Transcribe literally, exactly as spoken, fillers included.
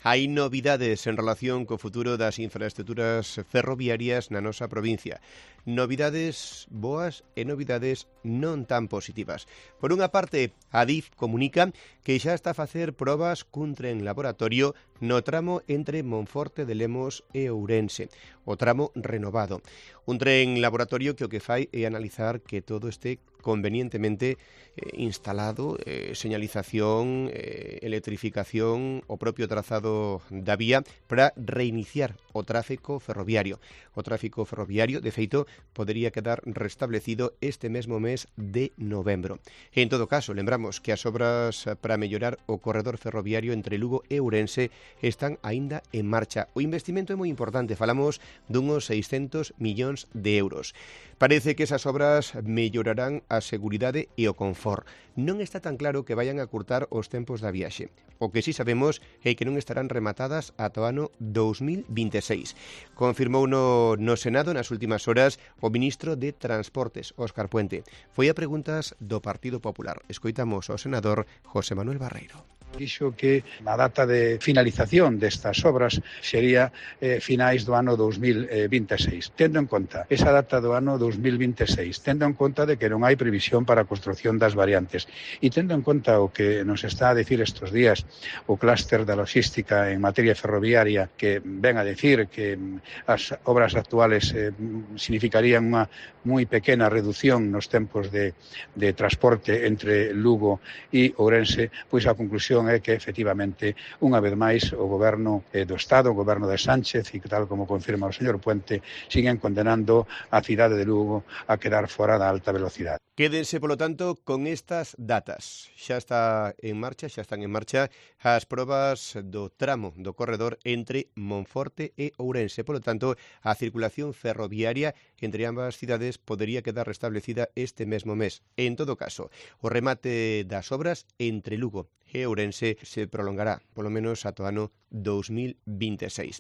Hai novidades en relación co futuro das infraestruturas ferroviarias na nosa provincia. Novidades boas e novidades non tan positivas. Por unha parte, a D I F comunica que xa está a facer probas cun tren laboratorio no tramo entre Monforte de Lemos e Ourense, o tramo renovado. Un tren laboratorio que o que fai é analizar que todo este convenientemente eh, instalado, eh, señalización, eh, electrificación, o propio trazado da vía para reiniciar o tráfico ferroviario. O tráfico ferroviario, de feito, podería quedar restablecido este mesmo mes de novembro. En todo caso, lembramos que as obras para mellorar o corredor ferroviario entre Lugo e Ourense están aínda en marcha. O investimento é moi importante, falamos dunhos seiscentos millóns de euros. Parece que esas obras mellorarán a seguridade e o confort. Non está tan claro que vayan a curtar os tempos da viaxe. O que sí sabemos é que non estarán rematadas ata o ano dous mil vinte e seis. Confirmou no, no Senado nas últimas horas o ministro de Transportes, Óscar Puente. Foi a preguntas do Partido Popular. Escoitamos ao senador José Manuel Barreiro. Dixo que a data de finalización destas obras sería eh, finais do ano dous mil vinte e seis. Tendo en conta esa data do ano dous mil vinte e seis, tendo en conta de que non hai previsión para a construción das variantes e tendo en conta o que nos está a decir estes días o clúster da logística en materia ferroviaria, que ven a decir que as obras actuales eh, significarían unha moi pequena reducción nos tempos de, de transporte entre Lugo e Ourense, pois a conclusión é que, efectivamente, unha vez máis, o goberno eh, do Estado, o goberno de Sánchez, e tal como confirma o señor Puente, siguen condenando a cidade de Lugo a quedar fora da alta velocidade. Quédense, polo tanto, con estas datas. Xa está en marcha, xa están en marcha as probas do tramo do corredor entre Monforte e Ourense. Polo tanto, a circulación ferroviaria entre ambas cidades podería quedar restablecida este mesmo mes. En todo caso, o remate das obras entre Lugo e Ourense se prolongará, polo menos ata o ano dous mil vinte e seis.